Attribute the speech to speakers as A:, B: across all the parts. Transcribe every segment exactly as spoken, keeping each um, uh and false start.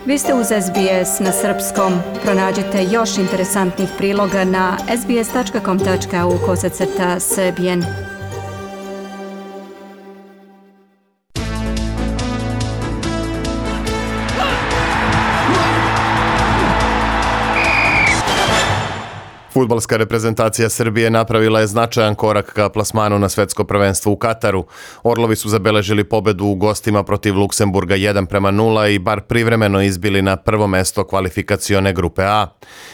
A: Vi ste uz S B S na srpskom. Pronađite još interesantnih priloga na sbs.com.au kosacrta srbijen.
B: Fudbalska reprezentacija Srbije napravila je značajan korak ka plasmanu na svetsko prvenstvo u Kataru. Orlovi su zabeležili pobedu u gostima protiv Luksemburga jedan prema nula i bar privremeno izbili na prvo mesto kvalifikacione grupe A.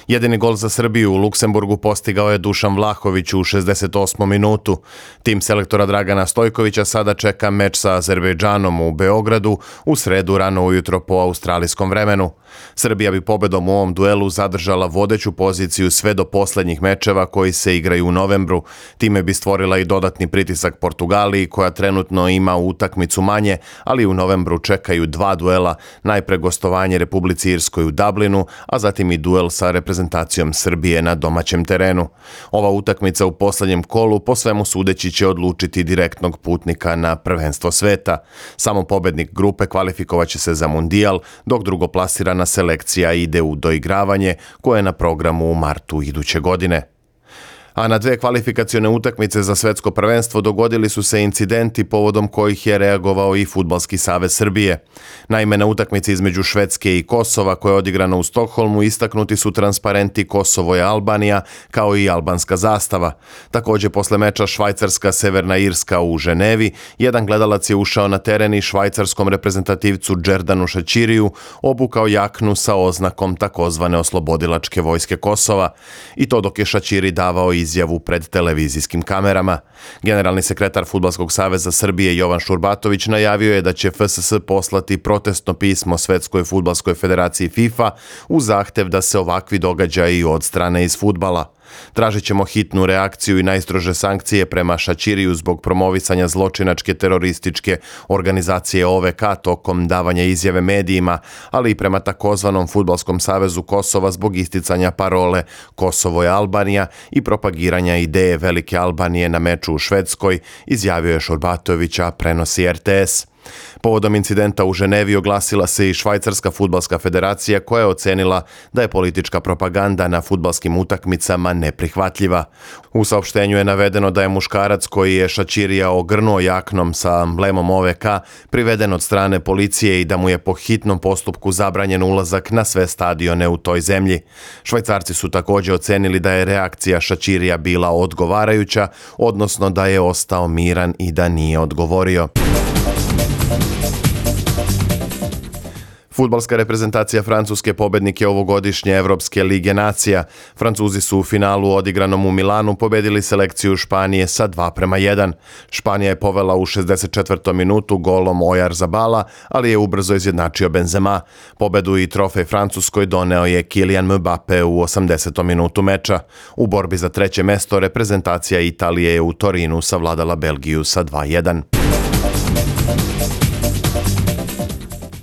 B: Jedini gol za Srbiju u Luksemburgu postigao je Dušan Vlahović u šezdeset osmom minutu. Tim selektora Dragana Stojkovića sada čeka meč sa Azerbejdžanom u Beogradu u sredu rano ujutro po australijskom vremenu. Srbija bi pobedom u ovom duelu zadržala vodeću poziciju sve do poslednjih mečeva koji se igraju u novembru. Time bi stvorila i dodatni pritisak Portugaliji koja trenutno ima utakmicu manje, ali u novembru čekaju dva duela, najpre gostovanje Republici Irskoj u Dublinu, a zatim i duel sa reprezentacijom Srbije na domaćem terenu. Ova utakmica u poslednjem kolu po svemu sudeći će odlučiti direktnog putnika na prvenstvo sveta. Samo pobednik grupe kvalifikovaće se za mundijal, dok drugoplasirana selekcija ide u doigravanje koje je na programu u martu iduće godine. A na dve kvalifikacione utakmice za svetsko prvenstvo dogodili su se incidenti povodom kojih je reagovao i Fudbalski savez Srbije. Naime, na utakmici između Švedske i Kosova koja je odigrana u Stokholmu istaknuti su transparenti Kosovo je Albanija kao i albanska zastava. Također posle meča Švajcarska-Severna Irska u Ženevi, jedan gledalac je ušao na teren i švajcarskom reprezentativcu Džerdanu Šaćiriju obukao jaknu sa oznakom takozvane oslobodilačke vojske Kosova. I to dok je Šaćiri davao izjavu pred televizijskim kamerama. Generalni sekretar Fudbalskog saveza Srbije Jovan Šurbatović najavio je da će F S S poslati protestno pismo Svetskoj fudbalskoj federaciji FIFA u zahtev da se ovakvi događaji odstrane iz fudbala. Tražit ćemo hitnu reakciju i najstrože sankcije prema Šaćiriju zbog promovisanja zločinačke terorističke organizacije O V K tokom davanja izjave medijima, ali i prema takozvanom Fudbalskom savezu Kosova zbog isticanja parole Kosovo je Albanija i propagiranja ideje Velike Albanije na meču u Švedskoj, izjavio je Šurbatović, a prenosi R T S. Povodom incidenta u Ženevi oglasila se i Švajcarska fudbalska federacija koja je ocenila da je politička propaganda na fudbalskim utakmicama neprihvatljiva. U saopštenju je navedeno da je muškarac koji je Šaćirija ogrnuo jaknom sa emblemom O V K priveden od strane policije i da mu je po hitnom postupku zabranjen ulazak na sve stadione u toj zemlji. Švajcarci su također ocenili da je reakcija Šaćirija bila odgovarajuća, odnosno da je ostao miran i da nije odgovorio. Fudbalska reprezentacija Francuske pobednik je ovogodišnje Evropske lige nacija. Francuzi su u finalu odigranom u Milanu pobedili selekciju Španije sa dva prema jedan. Španija je povela u šezdeset četvrtom minutu golom Oyarzabala, ali je ubrzo izjednačio Benzema. Pobedu i trofej Francuskoj doneo je Kylian Mbappe u osamdesetom minutu meča. U borbi za treće mesto reprezentacija Italije je u Torinu savladala Belgiju sa dva jedan.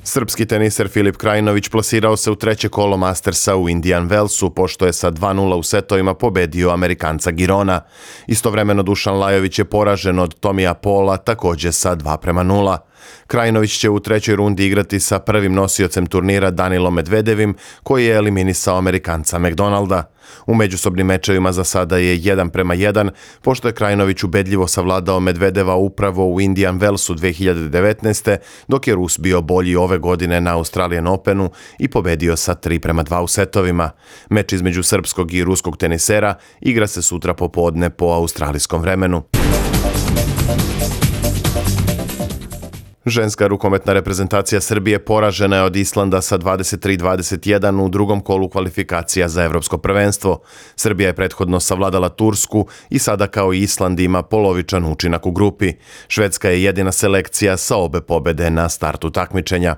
B: Srpski teniser Filip Krajinović plasirao se u treće kolo Mastersa u Indian Wellsu, pošto je sa dva nula u setovima pobedio Amerikanca Girona. Istovremeno Dušan Lajović je poražen od Tomija Pola, također sa dva prema nula. Krajinović će u trećoj rundi igrati sa prvim nosiocem turnira Danilom Medvedevim, koji je eliminisao Amerikanca McDonalda. U međusobnim mečevima za sada je jedan prema jedan, pošto je Krajinović ubedljivo savladao Medvedeva upravo u Indian Wellsu dve hiljade devetnaeste. dok je Rus bio bolji ove godine na Australian Openu i pobedio sa tri prema dva u setovima. Meč između srpskog i ruskog tenisera igra se sutra popodne po australijskom vremenu. Ženska rukometna reprezentacija Srbije poražena je od Islanda sa dvadeset tri dvadeset jedan u drugom kolu kvalifikacija za evropsko prvenstvo. Srbija je prethodno savladala Tursku i sada kao i Island ima polovičan učinak u grupi. Švedska je jedina selekcija sa obe pobede na startu takmičenja.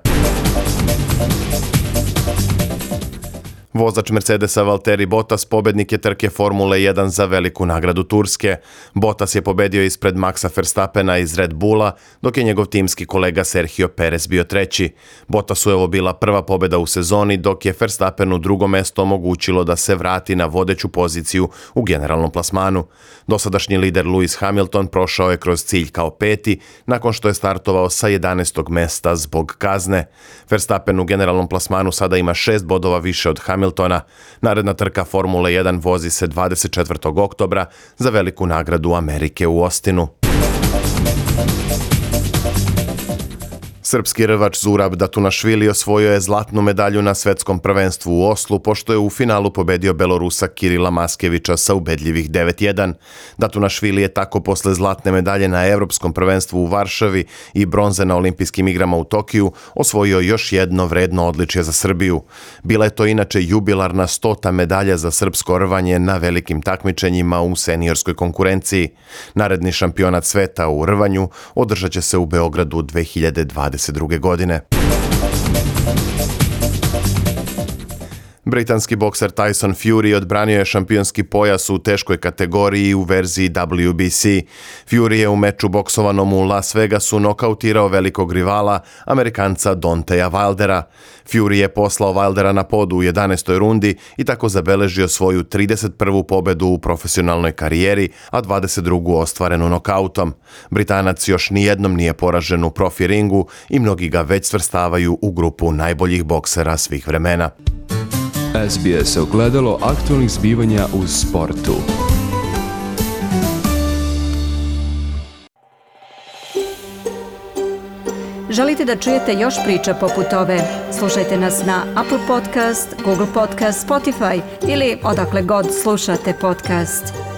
B: Vozač Mercedesa Valtteri Bottas pobednik je trke Formule jedan za veliku nagradu Turske. Bottas je pobedio ispred Maxa Verstappena iz Red Bulla, dok je njegov timski kolega Sergio Perez bio treći. Bottasu je ovo bila prva pobeda u sezoni, dok je Verstappenu drugo mesto omogućilo da se vrati na vodeću poziciju u generalnom plasmanu. Dosadašnji lider Lewis Hamilton prošao je kroz cilj kao peti, nakon što je startovao sa jedanaestog mesta zbog kazne. Verstappen u generalnom plasmanu sada ima šest bodova više od Hamiltona. Hamiltona. Naredna trka Formule jedan vozi se dvadeset četvrtog oktobra za veliku nagradu Amerike u Austinu. Srpski rvač Zurab Datunašvili osvojio je zlatnu medalju na svetskom prvenstvu u Oslu, pošto je u finalu pobedio Belorusa Kirila Maskevića sa ubedljivih devet jedan. Datunašvili je tako posle zlatne medalje na Evropskom prvenstvu u Varšavi i bronze na olimpijskim igrama u Tokiju osvojio još jedno vredno odličje za Srbiju. Bila je to inače jubilarna stota medalja za srpsko rvanje na velikim takmičenjima u seniorskoj konkurenciji. Naredni šampionat sveta u rvanju održat će se u Beogradu dve hiljade dvadeset druge godine. Britanski bokser Tyson Fury odbranio je šampionski pojas u teškoj kategoriji u verziji W B C. Fury je u meču boksovanom u Las Vegasu nokautirao velikog rivala, Amerikanca Deontaya Wildera. Fury je poslao Wildera na pod u jedanaestoj rundi i tako zabeležio svoju trideset prvu pobedu u profesionalnoj karijeri, a dvadeset drugu ostvarenu nokautom. Britanac još nijednom nije poražen u profi ringu i mnogi ga već svrstavaju u grupu najboljih boksera svih vremena.
C: S B S ogledalo aktualnih zbivanja u sportu.
A: Želite da čujete još priča poput ove? Slušajte nas na Apple Podcast, Google Podcast, Spotify ili odakle god slušate podcast.